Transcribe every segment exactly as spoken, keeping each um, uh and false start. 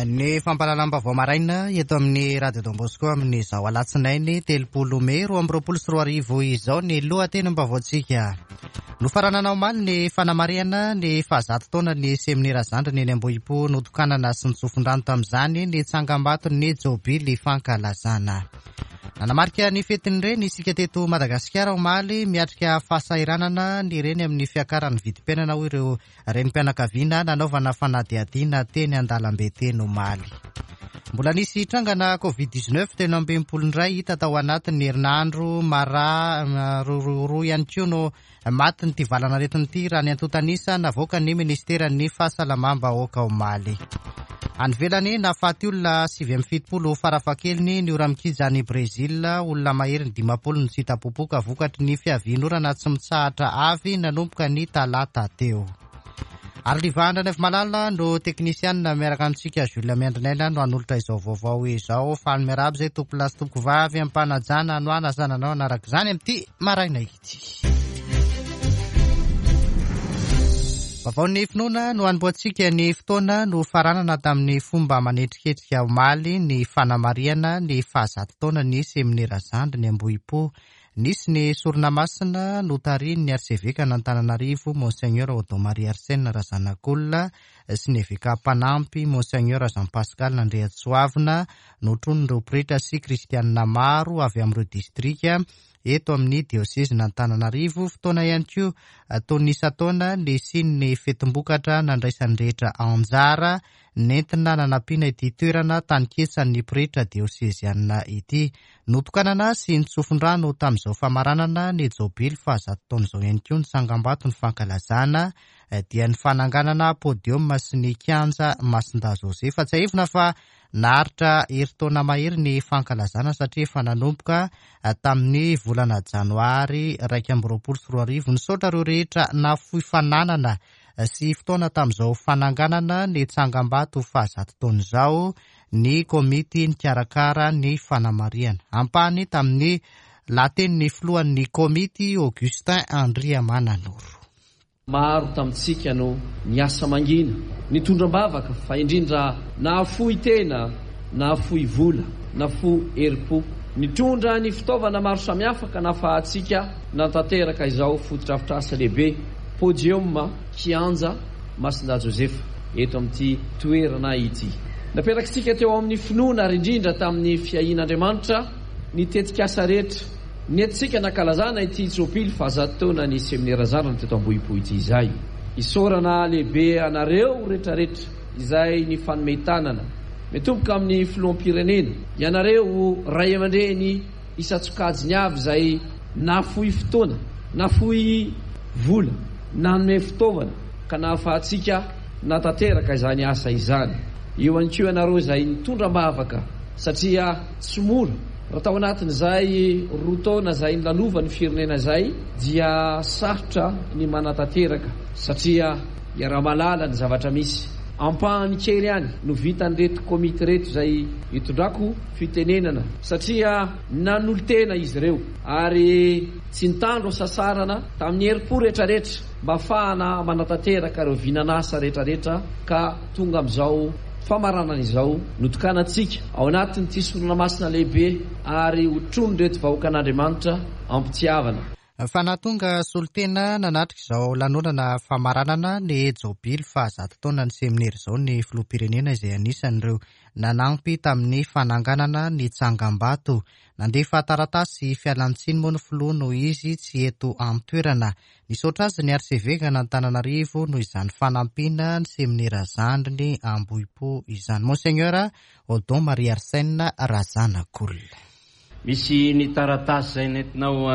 Ny fampahalalam-baovao maraina eto amin'ny Radio Don Bosco amin'izao alatsinainy telopolo mey roa amby roapolo sy roa arivo izao ny lohatenim-baovaontsika. Nofaranana omaly ny fanamarihana ny fahazato taona ny seminera zandriny eny Ambohipo, notokanana sy nitsofin-drano tamin'izany ny tsangambaton'ny jobily fankalazana. Nanamarika ny fetin'ny reny isika teto Madagasikara omaly. Miatrika fahasahiranana ny reny amin'ny fiakaran'ny vidim-piainana, hoy ireo renim-pianakaviana nanaovana fanadihadiana teny an-dalambe teny omaly. Mbola nisy trangana covid dix-neuf telo amby enimpolo indray hita tao anatin'ny herinandro, mara roa ihany koa no maty nyity valan'aretina ity raha ny antontanisa navoaka ny ministeran'ny fahasalamam-bahoaka omaly. Any ivelany, nahafaty olona sivy amby fitopolo farafahakeliny ny ora-mikija any Brezila. Olona mahery ny dimampolo no tsy hita popoka vokatry ny fiavian'orana tsy mitsahatra avy nanomboka ny talata teo. Ary Livandra Malala no teknisianina miaraka amintsika, Jules Miandrinaina no hanolotra izao vaovao izao. Faly miarahaba izay tompolahy sy tompokovavy ampanajana no anasananao anaraka izany amin'ity maraina ity. Vaovaon'ny finoana no hanombohantsika ny fotoana. No faranana tamin'ny fomba manetriketrika omaly ny fanamarihana ny fahazato taona ny seminera zandriny Ambohipo. Nisy ny sorona masina notarihin'ny arseveka an'Antananarivo Monseigneur Odon Marie Arsène Razanakolona sy ny eveka mpanampy Monseigneur Jean Pascal Andriatsoavina, notronon'ireo pretra sy kristianina maro avy amin'ireo distrika eto amin'ny diosezin'Antananarivo. Fotoana ihany koa toy ny isan-taona nisian'ny fetim-bokatra nandraisan'ny rehetra anjara nentina nanampiana ity toerana taninketsan'ny pretra diosezianina ity. Notokanana sy nitsofin-drano tamin'izao famaranana ny jobily fahazato taona izao ihany koa ny tsangambato ny fankalazana dia ny fananganana podium sy ny kianja Masindahy Josefa. Tsiahivina fa naharitra herintaona mahery ny fankalazana satria efa nanomboka tamin'ny volana janoary iraika amby roapolo sy roa arivo. Nisaotra ireo rehetra nafoy fananana sy fotoana tamin'izao fananganana ny tsangambato fahazato taona izao ny komity nikarakara ny fanamarihana. Ampahany tamin'ny lahatenin'ny filohan'ny komity Augustin Andriamananoro. Maro tamintsika no niasa mangina, nitondra am-bavaka, fa indrindra nahafoy tena, nahafoy vola, nafoy herim-po, nitondra ny fitaovana maro samihafa ka nahafahantsika nanatanteraka izao fotodrafitrasa lehibe podium kianja Masindahy Josefa eto amin'ity toerana ity. Napetrakintsika teo amin'ny finoana ary indrindra tamin'ny fiahian'Andriamanitra ny tetikasa rehetra nentintsika nankalazana ity jobily fahazato taona ny seminera zandriny teto Ambohipo ity izay. Isaorana lehibe anareo rehetrarehetra izay nifanome tanana, mitomboka amin'ny filoham-pirenena, ianareo ray aman-dreny isan-tsokajiny avy izay nafoy fotoana, nafoy vola, nanome fitaovana ka nahafahantsika natanteraka izany asa izany. Eo ihany koa ianareo izay nitondra am-bavaka satria tsy mora. Raha tao anatin'izay roa taona izay nilalovan'ny firenena izay dia sarotra ny manatanteraka satria iaraha-mahalala ny zavatra misy. Ampahany kely ihany no vitan'ireto komity ireto izay itondrako fitenenana satria nanolo-tena izy ireo ary tsy nitandro sasarana tamin'ny herim-po rehetrarehetra mba ahafahana manatanteraka ireo vinan'asa rehetrarehetra ka tonga amin'izao famaranana izao notokanantsika ao anatin'ity sorona masina lehibe ary hotronon'ireto vahoakan'Andriamanitra ampitiavana. Fa nahatonga solontena nanatrika izao lanonana famaranana ny jobily fahazato taona ny seminera izao ny filoham-pirenena izay anisan'ireo nanampy tamin'ny fananganana ny tsangambato. Nandefa taratasy fialantsiny moa ny filoha noho izy tsy eto an-toerana. Nisaotra azy ny arseveka an'Antananarivo noho izany fanampiana ny seminera zandriny Ambohipo izany. Monseigneur Odon Marie Arsène Razanakolona. Misy ny taratasy izay nentinao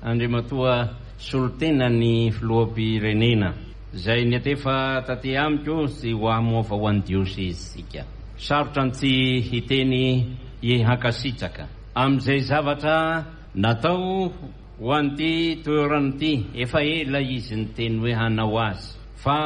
Andriamatoa solontena ny filoham-pirenena izay niatefa taty amiko sy ho hamoafa ho an'ny diosezisika. Sarotra ny tsy hiteny hankasitraka amin'izay zavatra natao ho an'ity toerana ity. Efa ela izy niteny hoe hanao azy, fa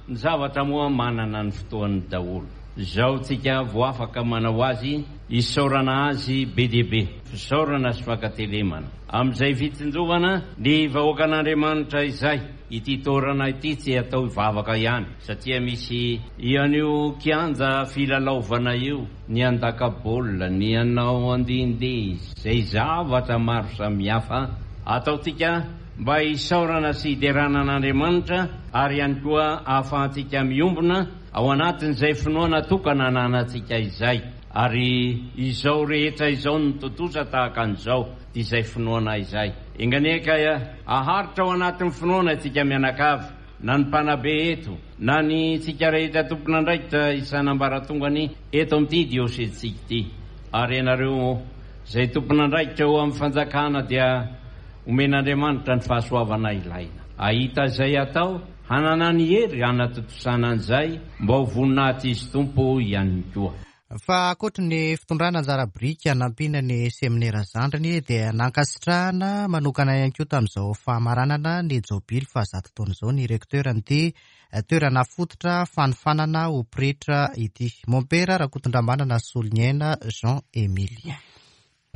ny zavatra moa manana ny fotoany daholo. Izao tsika vao afaka manao azy Isaorana azy be dia be, fisaorana sy fankatelemana amin'izay fitsinjovana ny vahoakan'Andriamanitra izay. Ity toerana ity tsy atao hivavaka ihany, satria misy ian'io kianja filalaovana io, ny andaka baolina, ny anao andehandeha, izay zavatra maro samihafa ataontsika mba hisaorana sy hiderana an'Andriamanitra, ary ihany koa ahafahantsika miombona ao anatin'izay finoana tokana ananantsika izay. Ary izao rehetra izao no tontosa tahaka an'izao, dia izay finoana izay. Enga anie ka aharitra ao anatin'ny finoana isika mianakavy, na ny mpanabe eto, na ny tsika rehetra tompon'andraikitra isan'ambaratongany eto amin'ity diosezintsika ity. Ary ianareo izay tompon'andraikitra eo amin'ny fanjakana dia omen'Andriamanitra ny fahasoavana ilaina. Ahita izay atao, hanana ny hery hanatontosana an'izay mba ho voninahitra izy Tompo ihany koa. Fa ankoatry ny fitondrana anjara biriky hanampiana ny seminera zandriny dia nankasitrahana manokana ihany koa tamin'izao famaranana ny jobily fahazato taona izao ny recteur an'ity toerana fototra fanofanana ho pretra ity, Mompera Rakotondramanana Soloniaina Jean Emilien.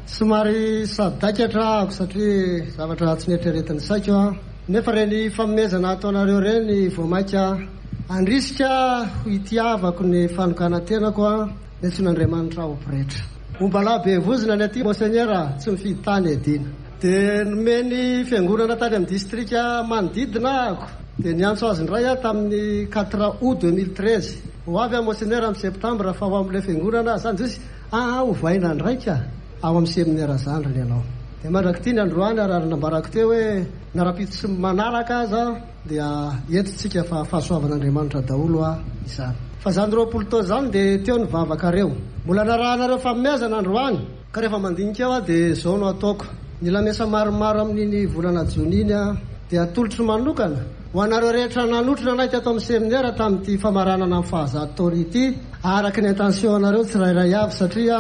Somary sadaikatra ahako satria zavatra tsy nieritreretin'ny saiko aho, nefa reny fanomezana ataonareo reny vao mainka andrisika ho itiavako ny fanokanan-tenako a niantsoan'Andriamanitra ho pretra. Ombalahy be vozona ny aty Monseigneur, tsy mifidy tany adina. Dia nomeny fiangonana tany amin'ny distrika manodidina ahako, dia niantso azy indray aho tamin'ny quatre août deux mille treize. Ho avy aho Monseigneur amin'ny septembre fa ho amin'ilay fiangonana zany izy, ah, hovaina ndraika ao amin'ny seminera zandriny ianao. Dia mandrak'ity ny androany ary nambarako teo hoe na rahampitso tsy manaraka aza dia entintsika fa fahasoavan'Andriamanitra daholo a izany. Fa zany roapolo taona zany dia teo ny vavakareo. Mbola narahanareo fanomezana androany, ka rehefa mandinika eo aho dia izao no ataoko. Ny lamesa maromaro amin'iny volana jona iny a dia atolotro manokana ho anareo rehetra nanotrona anay teto amin'ny seminera tamin'ity famaranana amin'ny fahazato taona ity, araka ny intention anareo tsirairay avy, satria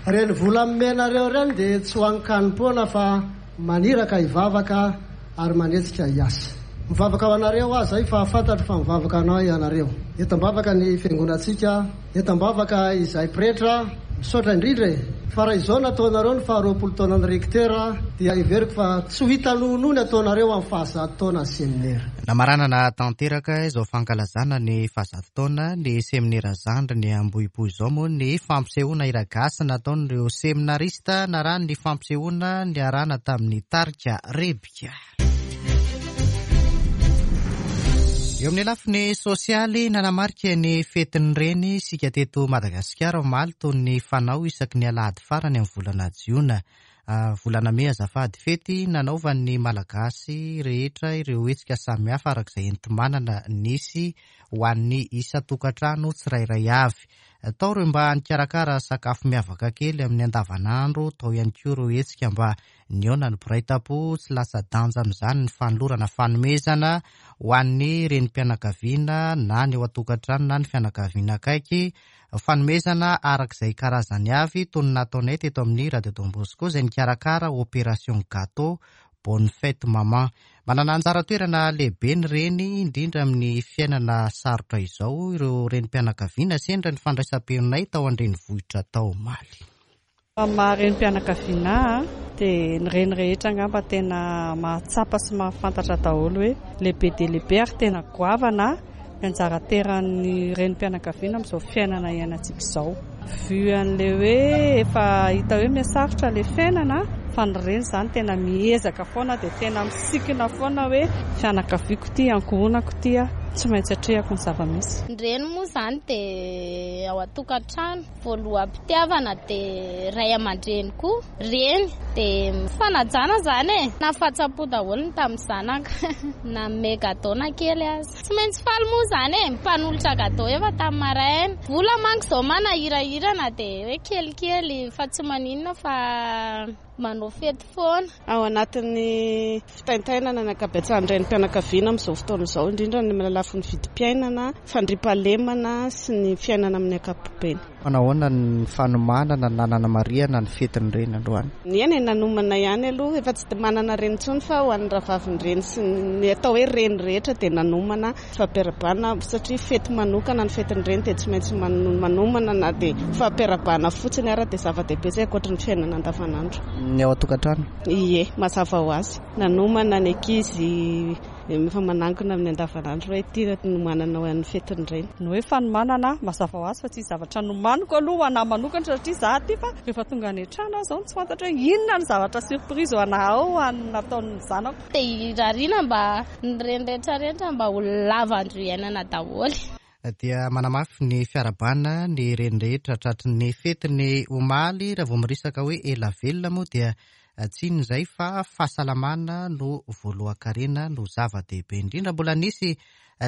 reny vola omenareo reny dia tsy ho ankanim-poana fa maniraka hivavaka ary manetsika hiasa. Mivavaka ho anareo aho zay fa fantatro fa mivavaka anao ianareo. Eto am-bavaka ny fiangonantsika, eto am-bavaka izay pretra, misaotra indrindra e. Fa raha izao nataonareo ny faharoapolo taonan'ny recteur dia heveriko fa tsy ho hita noho ny ataonareo amin'ny fahazato taona ny seminera. Namaranana tanteraka izao fankalazana ny fahazato taona ny seminera zandriny Ambohipo izao moa ny fampisehoana hira gasy nataon'ireo seminarista narahany ny fampisehoana niarahana tamin'ny tarika Rebika. Eo amin'ny lafiny sosialy, nanamarika ny fetin'ny reny isika teto Madagasikara omaly toy ny fanao isaky ny alahady farany amin'ny volana jiona. Volana mey azafady, fety nanaovan'ny Malagasy rehetra ireo hetsika samihafa araka izay enti-manana nisy ho an'ny isan-tokantrano tsirairay avy. Tao ireo mba nikarakara sakafo miavaka kely amin'ny andavanandro, tao ihany koa ireo hetsika mba nihaona ny mpiray tampo, tsy latsa-danja amin'izany ny fanolorana fanomezana ho an'ny renim-pianakaviana na ny ao an-tokantrano na ny fianakaviana akaiky, fanomezana araka izay karazany avy toy ny nataonay teto amin'ny Radio Don Bosco izay nikarakara opération gâteau bonne fête maman. Manana anjara toerana lehibe ny reny indrindra amin'ny fiainana sarotra izao ireo renim-pianakaviana sendra ny fandraisam-peonay tao an-drenivohitra tao omaly. Amin'ny maha renim-pianakaviana ahy dia ny reny rehetra angamba tena mahatsapa sy mahafantatra daholo hoe lehibe dia lehibe ary tena goavana ny anjara toeran'ny renim-pianakaviana amin'izao fiainana iainantsika izao. Vu an'ilay hoe efa hita hoe mihasarotra ilay fiainana, fa ny reny izany tena miezaka foana dia tena misikina foana hoe fianakaviako ity, ankohonako ity, tsy maintsy atrehako ny zava-misy. Ny reny moa izany dia ao an-tokantrano, voaloham-pitiavana dia ray aman-dreny koa, reny dia fanajana izany e. Nahafatsapo daholo ny tamin'ny zanaka, nanome gâteau na kely aza. Tsy maintsy faly moa izany e, mpanolotra gâteau efa tamin'ny maraina. Vola manko izao manahirahirana dia hoe kelikely fa tsy maninona fa manao fety foana. Ao anatin'ny fitaintainana ny ankabetsahan'ny renim-pianakaviana amin'izao fotoana izao, indrindra ny lafiny vidim-piainana, fandriampahalemana sy ny fiainana amin'ny ankapobeny. Manahoana ny fanomanana na nanamarihana ny fetin'ny reny androany? Ny eny nanomana ihany aloha, efa tsy manana reny intsony fa ho an'ny rahavavin-dreny sy ny atao hoe reny rehetra dia nanomana fampiarahabana satria fety manokana ny fetin'ny reny dia tsy maintsy manomana na dia fampiarahabana fotsiny ara dia zava-dehibe izay ankoatra ny fiainana andavanandro. Ny ao an-tokantrano? Ie, mazava ho azy. Nanomana ny ankizy efa manankina amin'ny andavanandro hoe ity nomanana ho an'ny fetin'ny reny. Ny hoe fanomanana mazava ho azy fa tsy zavatra nomaniko aloha ho anahy manokana satria za aty fa rehefa tonga any an-trano aho izao tsy fantatra hoe inona ny zavatra surprise ho anahy ao an'ny nataon'ny zanako. Dia irariana mba ny reny rehetra rehetra mba ho lava andro iainana daholo. Dia manamafy ny fiarahabana ny reny rehetra tratry ny fetiny omaly. Raha vao miresaka hoe ela velona moa dia tsy inona izay fa fahasalamana no voalohan-karena no zava-dehibe indrindra. Mbola nisy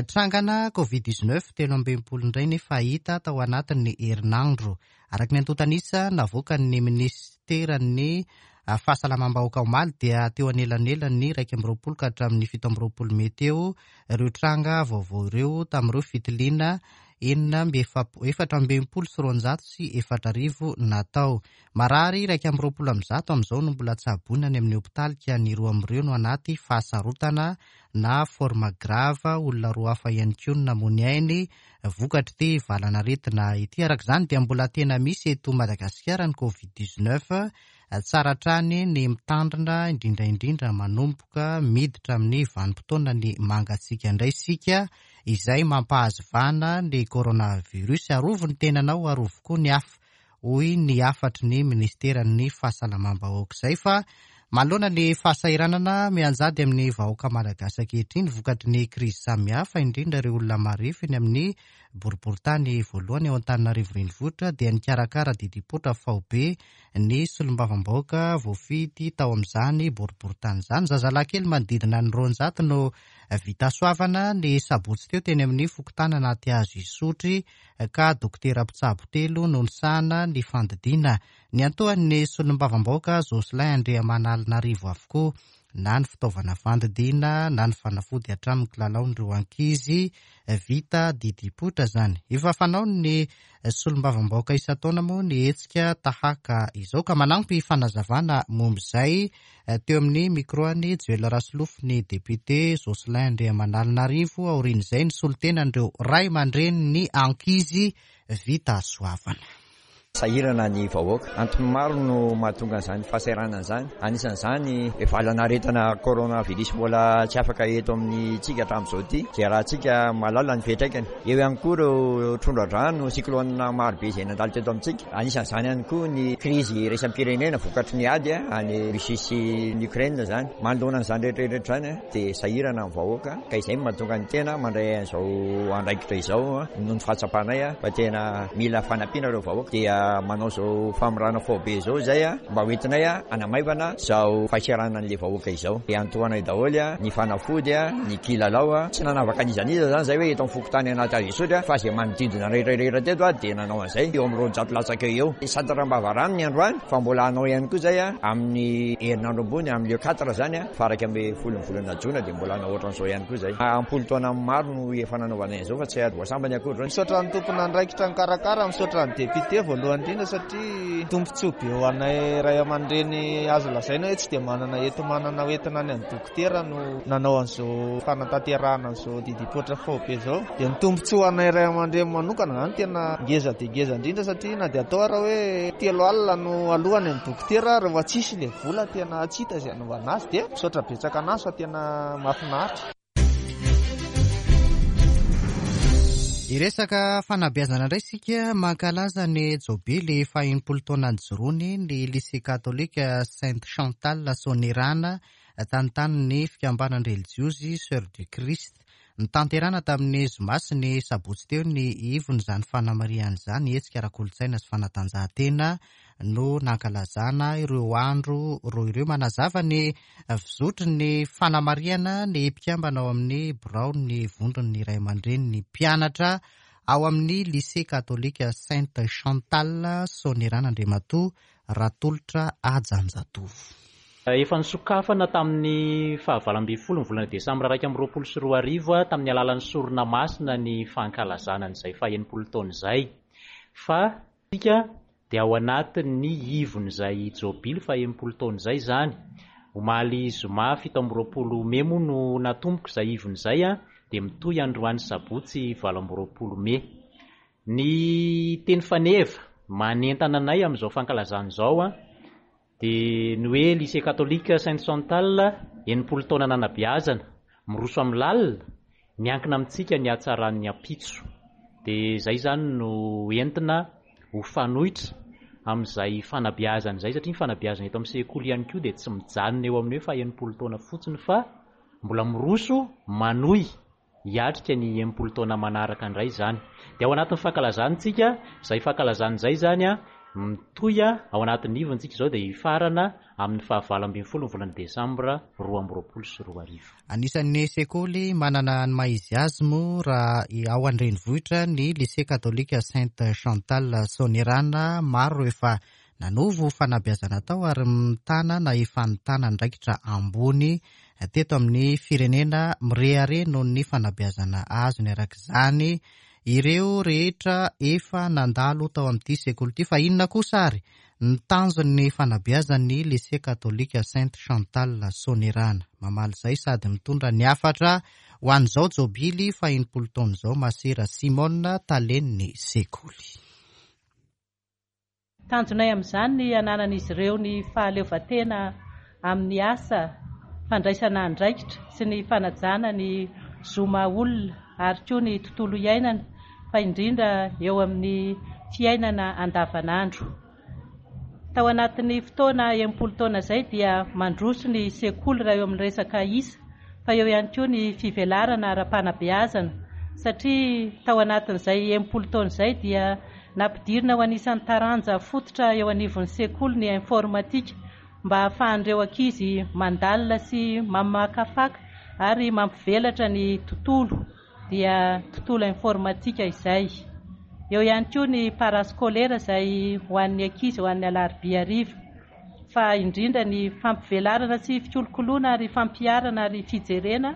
trangana covid dix-neuf telo amby enimpolo indray nefa hita tao anatin'ny herinandro. Araka ny antontan'isa navoakan'ny minisiteran'ny fahasalamam-bahoaka omaly dia teo anelanelan'ny iraika amby roapolo ka hatramin'ny fito amby roapolo mey teo ireo tranga vaovao ireo tamin'ireo fitiliana enina amby efatra amby enimpolo sy roanjato sy efatra arivo natao. Marary iraika amby roapolo amby zato amin'izao no mbola tsaboina any amin'ny hopitaly ka ny roa amin'ireo no anaty fahasarotana na forme grave. Olona roa hafa ihany koa no namoy ainy vokatr'ity valanaretina ity. Araka izany dia mbola tena misy eto Madagasikara ny covid dix-neuf. Tsara hatrany ny mitandrina indrindra indrindra manomboka miditra amin'ny vanim-potoana ny mangatsiaka indray isika izay mampahazo vahana ny coronavirus. Arovy ny tenanao, arovy koa ny hafa, hoy ny hafatry ny ministeran'ny fahasalamam-bahoaka izay. Fa manoloana ny fahasahiranana mianjady amin'ny vahoaka malagasy ankehitriny vokatry ny krizy samihafa, indrindra ireo olona marefo eny amin'ny boriborintany voalohany ao Antananarivo renivohitra, dia nikarakara didim-poitra faobe ny solombavambahoaka voafidy tao amin'izany boriborintany izany. Zazalahy kely manodidina ny roanjato no vita soavana ny sabotsy teo teny amin'ny fokontany anaty hazo Isotry ka dokotera mpitsabo telo no nisahana ny fandidiana. Ny antohan'ny solombavambahoaka Jocelyn Andriamanalinarivo avokoa na ny fitaovana fandidiana na ny fanafody hatramin'ny kilalaon'ireo ankizy vita didim-poitra izany. Efa fanao ny solombavambahoaka isan-taona moa ny hetsika tahaka izao ka manampy fanazavana momba izay teo amin'ny micro-ny Joel Rasolofo ny député Jocelyn Andriamanalinarivo. Aorian'izay ny solontenan'ireo ray aman-dreny ny ankizy vita soavana. Sahirana ny vahoaka. Antony maro no mahatonga an'izany fahasahiranana izany. Anisan'izany valanaretina coronavirus mbola tsy afaka eto amintsika hatramin'izao ity, izay raha tsika mahalala ny fiantraikany. Eo ihany koa ireo tondra-drano, cyclone maro be izay nandalo teto amintsika. Anisan'izany ihany koa ny krizy iraisam-pirenena vokatry ny ady any Russie sy ny Ukraine izany. Manoloana an'izany rehetrarehetra izany dia sahirana ny vahoaka ka izay no mahatonga ny tena mandray an'izao andraikitra izao noho ny fahatsapanay fa tena mila fanampiana ireo vahoaka. Dia manao izao famorana faobe izao izay mba hoentinay hanamaivana izao fahasahiranan'ilay vahoaka izao. Dia antohanay daholo ny fanafody, ny kilalao. Tsy nanavaka an'iza n'iza izany izay hoe eto amin'ny fokontany anaty hazo Isotry fa izay manodidina rehetrarehetra teto dia nanao an'izay eo amin'ny roanjato latsaka eo. Santatra am-bavarano ny androany fa mbola hanao ihany koa izay amin'ny herinandro ambony amin'ny le quatre izany faha-iraika ambin'ny folo ny volana jona dia mbola hanao ohatran'izao ihany koa izay. Ampolo taona maro no efa nanaovana an'izao fa tsy voasambany akory. Misaotra ny tompon'andraikitra nikarakara, misaotra ny député voalohany indrindra satria tombontsoa be ho anay ray aman-dreny azo lazaina hoe tsy dia manana enti-manana hoentina any amin'ny dokotera no nanao an'izao fanatanterahana an'izao didim-poitra faobe izao. Dia ny tombontsoa ho anay ray aman-dreny manokana izany tena ngeza dia ngeza indrindra satria na dia atao ara hoe telo alina no alohany amin'ny dokotera rehefa tsisy ilay vola tena tsy hita izay hanaovana azy. Dia misaotra betsaka anazy fa tena mahafinaritra. Hiresaka fanabeazana indray isika. Mankalaza ny jobily faha-enimpolo taona nijoroany ny lycée catholique Sainte Chantal Soanierana tantanin'ny fikambanana relijiozy Sœur du Christ. Nitanterana tamin'ny zoma sy ny sabotsy teo ny ivon'izany fanamarihana izany. Hetsika ara-kolontsaina sy fanatanjahantena no nankalazana ireo andro roa ireo. Manazava ny fizotry ny fanamarihana ny mpikambana ao amin'ny birao ny vondron'ny ray aman-dreny ny mpianatra ao amin'ny lycée catholique Sainte Chantal Soanierana Andriamatoa Ratolotra Ajanjatovo. Efa nisokafana tamin'ny fahavalo ambin'ny folo ny volana desambra iraika amby roapolo sy roa arivo tamin'ny alalan'ny sorona masina ny fankalazana an'izay faha-enimpolo taona izay. Fa isika Dia ao anatin'ny ivon'izay jobily fa enimpolo taona izay izany. Omaly zoma fito amby roapolo mey moa no natomboka izay ivon'izay, dia mitohy androany sabotsy valo amby roapolo mey. Ny teny faneva manentana anay amin'izao fankalazana izao dia ny hoe Lycée Catholique Sainte Chantal enimpolo taona nanabeazana, miroso amin'ny lalina, miankina amintsika ny hatsaran'ny ampitso. Dia izay izany no entina ho fanoitra amin'izay fanabeazana izay, satria ny fanabeazana eto amin'ny sekoly ihany koa dia tsy mijanona eo amin'ny hoe fa enimpolo taona fotsiny fa mbola miroso manohy hiatrika ny enimpolo taona manaraka indray izany. Dia ao anatin'ny fankalazana isika, izay fankalazana izay izany a mitohy ao anatin'ny ivontsika izao dia hifarana amin'ny fahavalo ambin'ny folo ny volana desambra roa amby roapolo sy roa arivo. Anisan'ny sekoly manana ny maha izy azy moa raha ao an-drenivohitra ny Lycée Catholique Sainte Chantal Soanierana. Maro efa nanovo fanabeazana tao ary mitana na efa nitana andraikitra ambony teto amin'ny firenena, mirehareha noho ny fanabeazana azony. Araka izany ireo rehetra efa nandalo tao amin'ity sekoly ity. Fa inona kosa ary ny tanjon'ny fanabeazan'ny Lycée Catholique Sainte Chantal Soanierana? Mamaly izay sady mitondra ny hafatra ho an'izao jobily fa enimpolo taona izao Masera Simone, talen'ny sekoly. Tanjonay amin'izany ny hananan'izy ireo ny fahaleovantena amin'ny asa, fandraisana andraikitra sy ny fanajana ny zo maha olona ary koa ny tontolo iainana, fa indrindra eo amin'ny fiainana andavanandro. Tao anatin'ny fotoana enimpolo taona izay dia mandroso ny sekoly raha eo amin'ny resaka isa, fa eo ihany koa ny fivelarana ara-panabeazana, satria tao anatin'izay enimpolo taona izay dia nampidirina ho anisan'ny taranja fototra eo anivon'ny sekoly ny informatika mba hahafahan'ireo ankizy mandalina sy mamakafaka ary mampivelatra ny tontolo, dia tontolo informatika izay. Eo ihany koa ny parascolaire izay ho an'ny ankizy ho an'ny alarobia hariva, fa indrindra ny fampivelarana sy fikolokoloana ary fampiharana ary fijerena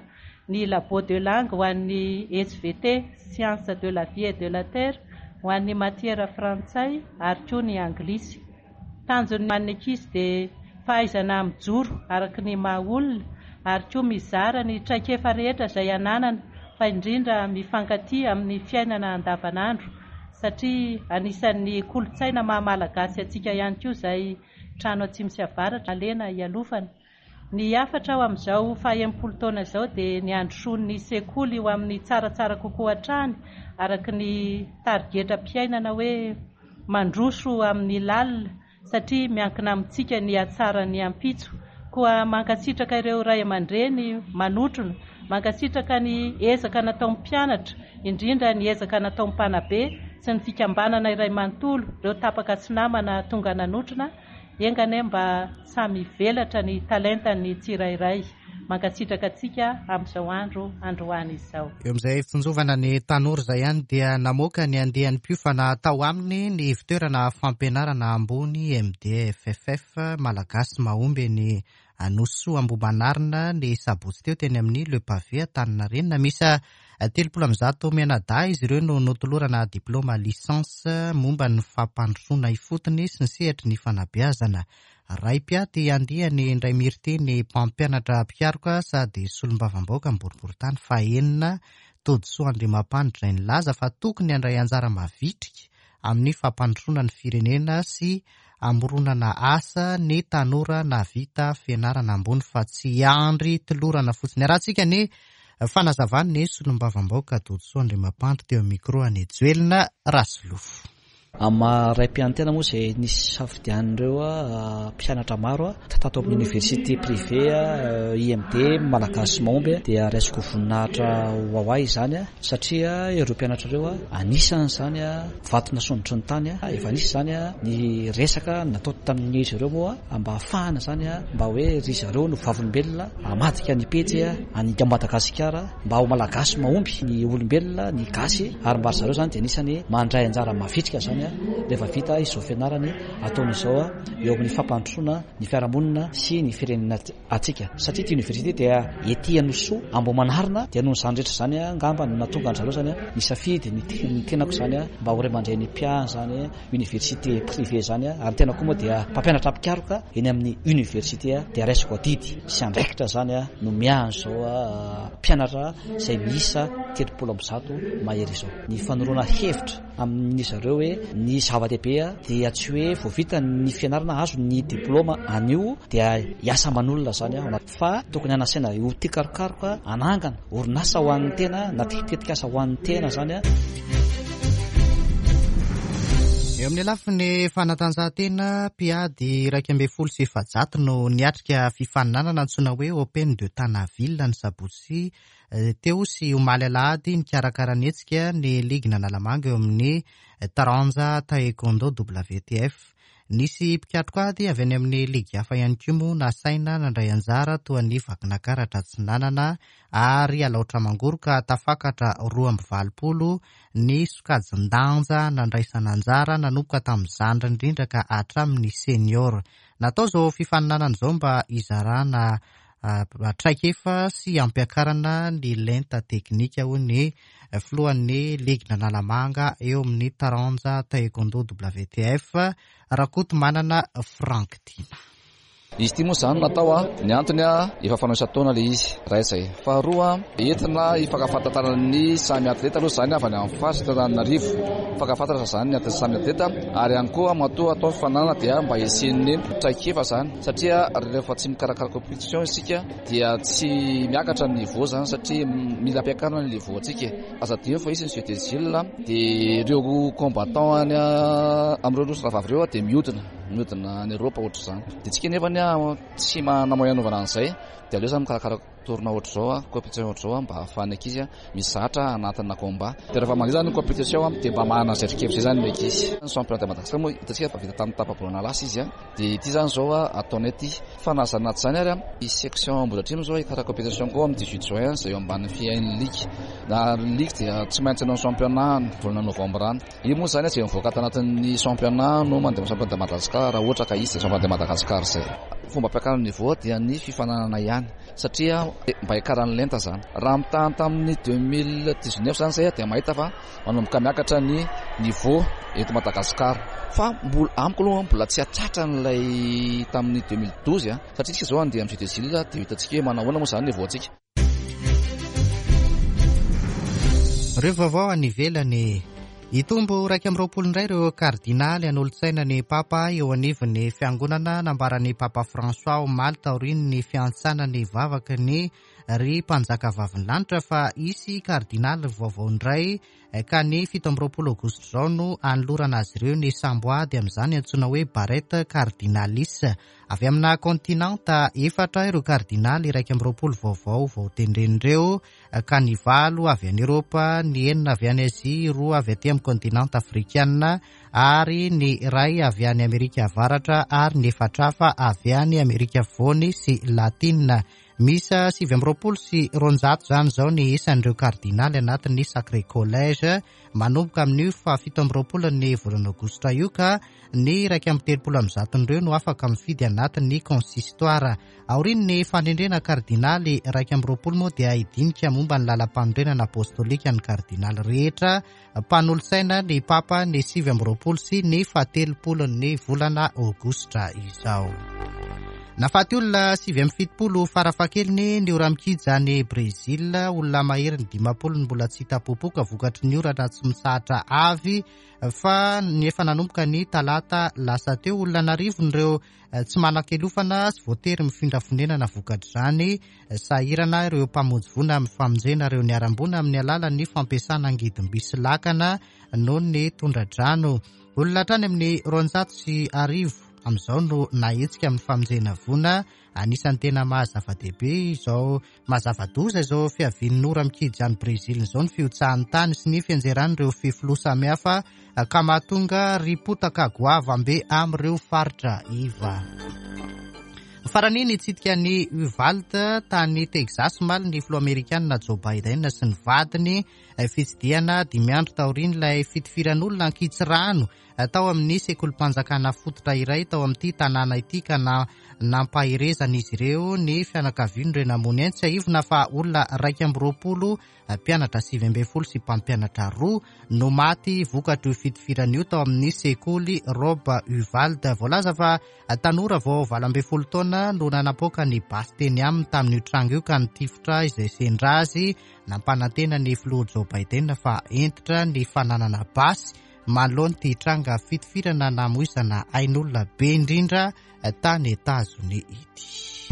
ny labo de langue ho an'ny S V T, science de la vie et de la terre, ho an'ny matière frantsay ary koa ny anglisy. Tanjon'ny an'ny ankizy dia fahaizana mijoro araka ny maha olona ary koa mizara ny traikefa rehetra izay ananana, fa indrindra mifankatia amin'ny fiainana andavanandro, satria anisan'ny kolontsaina maha malagasy antsika ihany koa izay trano atsimo sy avaratra alena hialofana. Ny hafatra ao amin'izao faha-enimpolo taona izao dia ny handrosoan'ny sekoly ho amin'ny tsaratsara kokoa hatrany araka ny tarigetram-piainana hoe mandroso amin'ny lalina, satria miankina amintsika ny hatsaran'ny ampitso. Koa mankasitraka ireo ray aman-dreny manotrona, mankasitraka ny ezaka nataon'ny mpianatra, indrindra ny ezaka nataon'ny mpanabe sy ny fikambanana iray manontolo, ireo tapaka sy namana tonga nanotrona. Enga anie mba samy hivelatra ny talentan'ny tsirairay. Mankasitraka antsika amin'izao andro androany izao. Eo amin'izay fitsinjovana ny tanora izay ihany dia namoaka ny andian'ny mpiofana tao aminy ny fitoerana fampianarana ambony M D F F F Malagasy mahomby ny Anosoa Ambohimanarina ny sabotsy teo teny amin'ny Le Pavé Antaninarenina. Miisa telopolo amby zato mianadahy izy ireo no notolorana diplôma licence momba ny fampandrosoana ifotony sy ny sehatry ny fanabeazana. Ray mpiaty andiany indray miriteny mpampianatra mpikaroka sady solombavambahoaka boriborintany fahenina Todisoa Andriamampandry izay nilaza fa tokony handray anjara mavitrika amin'ny fampandrosoana ny firenena sy amoronana asa ny tanora nahavita fianarana ambony fa tsy hiandry tolorana fotsiny. Arahantsika ny fanazavany solombavambahoaka Todisoa Andriamampandry teo amin'ny micro any Joelina Rasolofo. Amin'ny maha ray mpianatena moa izay nisy safidian'ireo mpianatra maro tato amin'ny université privée I M D Malagasy mahomby dia raisiko voninahitra ho ahy izany satria ireo mpianatra ireo anisan'izany vato nasondrotry ny tany, efa nisy izany ny resaka natao tamin'izy ireo moa mba hahafahana izany mba hoe ry zareo no vavolombelona hamadika ny pejy any Madagasikara mba ho Malagasy mahomby ny olombelona ny gasy ary mba ry zareo izany dia anisany mandray anjara mavitrika izany zany rehefa vita izao fianarany ataony izao eo amin'ny fampandrosoana ny fiarahamonina sy ny firenena atsika, satria ty université dia ety Anosoa Ambohimanarina. Dia noho izany rehetra izany angamba no nahatonga an-dry zareo zany nisafidy ny tenako zany mba ho ray aman-dreny mpiahy zany université privé zany. Ary ny tena koa moa dia mpampianatra mpikaroka eny amin'ny université, dia raisiko adidy sy andraikitra zany no miahy an'izao mpianatra izay miisa telopolo amby zato mahery izao. Ny fanoroana hevitra amin'ny zareo hoe ny zava-dehibe dia tsy hoe vao vita ny fianarana azo ny diplôma anio dia hiasa aman'olona zany fa tokony hanasaina ho tia karokaroka, hanangana orinasa ho an'ny tena na tetikasa ho an'ny tena zany. Eo amin'ny lafiny fanatanjahantena, mpiady iraika ambin'ny folo sy efajato no niatrika fifaninanana antsoina hoe Open de Tanaville ny sabotsy teo sy omaly alahady. Nikarakara ny hetsika ny ligin'Analamanga eo amin'ny taranja taekwondo W T F. Nisy mpikatroka ady avy any amin'ny ligy hafa ihany koa moa nasaina nandray anjara toa ny Vakinankaratra Atsinanana ary Alaotra Mangoro, ka tafakatra roa amby valopolo ny sokajin-danja nandraisana anjara nanomboka tamin'ny zandriny indrindra ka hatramin'ny senior. Natao izao fifaninanana izao mba hizarana traikefa sy hampiakarana ny lenta teknika hoy ny filohan'ny ligin'Analamanga eo amin'ny taranja taekwondo W T F, Rakotomanana Frank Tiana. Izy ity moa izany natao a, ny antony a efa fanao isan-taona ilay izy, iray izay. Faharoa, entina hifankafantarana ny samy atleta aloha izany avy any amin'ny faritra Antananarivo. Hifankafantatra izany ny samy atleta, ary ihany koa matoa atao fifaninanana dia mba hisian'ny traikefa izany, satria rehefa tsy mikarakara compétition isika dia tsy miakatra ny niveau izany, satria mila ampiakarina ny niveau antsika. Aza adino fa hisy ny Jeux des Îles, dia ireo combattant any amin'ireo nosy rahavavy ireo dia mihodina, mihodina any Eoropa ohatr'izany. Dia tsika nefa ny tsy manana moyen anaovana an'izay, dia aleo izany mikarakara tournoi ohatr'izao, compétition ohatr'izao mba ahafahan'ny ankizy mizatra anatina combat. Dia rehefa mandeha izany ny compétition dia mba manana izay traikefa izay izany ny ankizy. Ny championnat de Madagascar moa hitantsika fa vita tamin'ny tapa-bolana lasa izy, dia ity izany izao ataonay ity. Fa na izany na tsy izany ary, i section Ambohidratrimo izao hikarakara compétition koa amin'ny dix-huit juin izay eo ambanin'ny fiain'ny ligue. Na ny ligue dia tsy maintsy hanao championnat ny volana novembre any. Io moa izany izay mivoaka tanatin'ny championnat no mandeha amin'ny championnat de Madagascar raha ohatra ka hisy championnat de Madagascar izay. Fomba ampiakarana niveau dia ny fifaninanana ihany, satria mba hiakaran'ny lenta izany. Raha mitaha tamin'ny deux mille dix-neuf izany izay dia mahita fa manomboka miakatra ny niveau eto Madagascar. Fa mbola amiko aloha mbola tsy hatratra an'ilay tamin'ny deux mille douze, satria isika izao andeha amin'ny Jeux des Îles dia hitantsika hoe manao ahoana moa izany niveau antsika. Ireo vaovao any ivelany. Hitombo iraika amby roapolo indray ireo kardinaly hanolotsaina ny Papa eo anivon'ny fiangonana nambaran'ny Papa François omaly taorian'ny fiantsana ny vavaky ny ry mpanjaka vavin'ny lanitra fa hisy kardinaly vaovao indray ka ny fito amby roapolo aogositra izao no anolorana azy ireo ny samboady amin'izany antsoina hoe barrette cardinalis. Avy amina kontinanta efatra ireo kardinaly iraika amby roapolo vaovao vao tendren'ireo, ka ny valo avy any Eoropa, ny enina avy any Azia, roa avy aty amin'ny kontinanta afrikana ary ny iray avy any Amerika Avaratra ary ny efatra hafa avy any Amerika Afovoany sy Latina. Miisa sivy amby roapolo sy roanjato izany izao ny isan'ireo kardinaly anatin'ny Sacré Collège manomboka amin'io fahafito amby roapolo ny volana aogositra io, ka ny iraika amby telopolo amby zaton'ireo no afaka mifidy anatin'ny consistoire. Aorian'ny fanendrena kardinaly iraika amby roapolo moa dia hidinika momba ny lalam-panorenana apostolika ny kardinaly rehetra mpanolotsaina ny Papa ny sivy amby roapolo sy ny fahatelopolo ny volana aogositra izao. Nafaty olona sivy amby fitopolo farafahakeliny ny ora-mikija any Brezila, olona mahery ny dimampolo no mbola tsy hita popoka vokatry ny orana tsy mitsahatra avy fa ny efa nanomboka ny talata lasa teo. Olona an'arivony ireo tsy manan-kelofana sy voatery mifindra fonenana vokatr'izany. Sahirana ireo mpamonjy voina amin'ny famonjena ireo niharam-boina amin'ny alalan'ny fampiasana angidim-by sy lakana noho ny tondra-drano. Olona hatrany amin'ny roanjato sy arivo amin'izao no nahetsika amin'ny famonjena voina. Anisan'ny tena mahazava-dehibe izao mahazava-doza izao fiavian'ny ora mikija any Brezila izao ny fihotsahan'ny tany sy ny fianjeran'ireo fefiloha samihafa ka mahatonga ripotaka goavambe amin'ireo faritra iva. Farany nitsidika ny Uvalde tany Texas omaly ny filoha amerikana Joe Biden sy ny vadiny Fitsidihana dimy andro taorian'ilay fitifiran'olona ankitsirano tao amin'ny sekolim-panjakana fototra iray tao amin'ity tanàna ity ka na nampaherezan'izy ireo ny fianakavian'ireo namoy aina. Tsiahivina fa olona iraika amby roapolo, mpianatra sivy ambin'ny folo sy mpampianatra roa no maty vokatr'io fitifirana io tao amin'ny sekoly Rob Uvalde. Voalaza fa tanora vao valo ambin'ny folo taona no nanapoaka ny basy teny aminy tamin'io tranga io ka nitifitra izay sendra azy. Nampanantena ny filoha Joe Biden fa hentitra ny fananana basy manoloana ity tranga fitifirana namoizana ain'olona be indrindra tany Etazonia ity.